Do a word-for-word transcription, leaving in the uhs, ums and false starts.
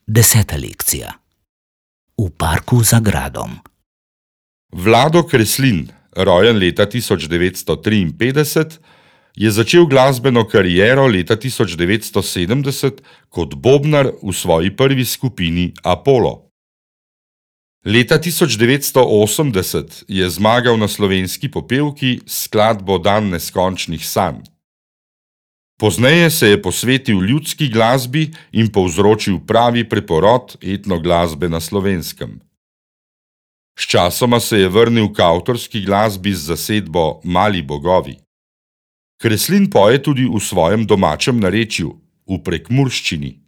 Deseta lekcija. V parku za gradom. Vlado Kreslin, rojen leta tisoč devetsto triinpetdeset, je začel glasbeno kariero leta tisoč devetsto sedemdeset kot bobnar v svoji prvi skupini Apollo. Leta tisoč devetsto osemdeset je zmagal na Slovenski popevki s skladbo Dan neskončnih sanj. Pozneje se je posvetil ljudski glasbi in povzročil pravi preporod etnoglasbe na Slovenskem. Sčasoma se je vrnil k avtorski glasbi z zasedbo Mali bogovi. Kreslin poje tudi v svojem domačem narečju, v prekmurščini.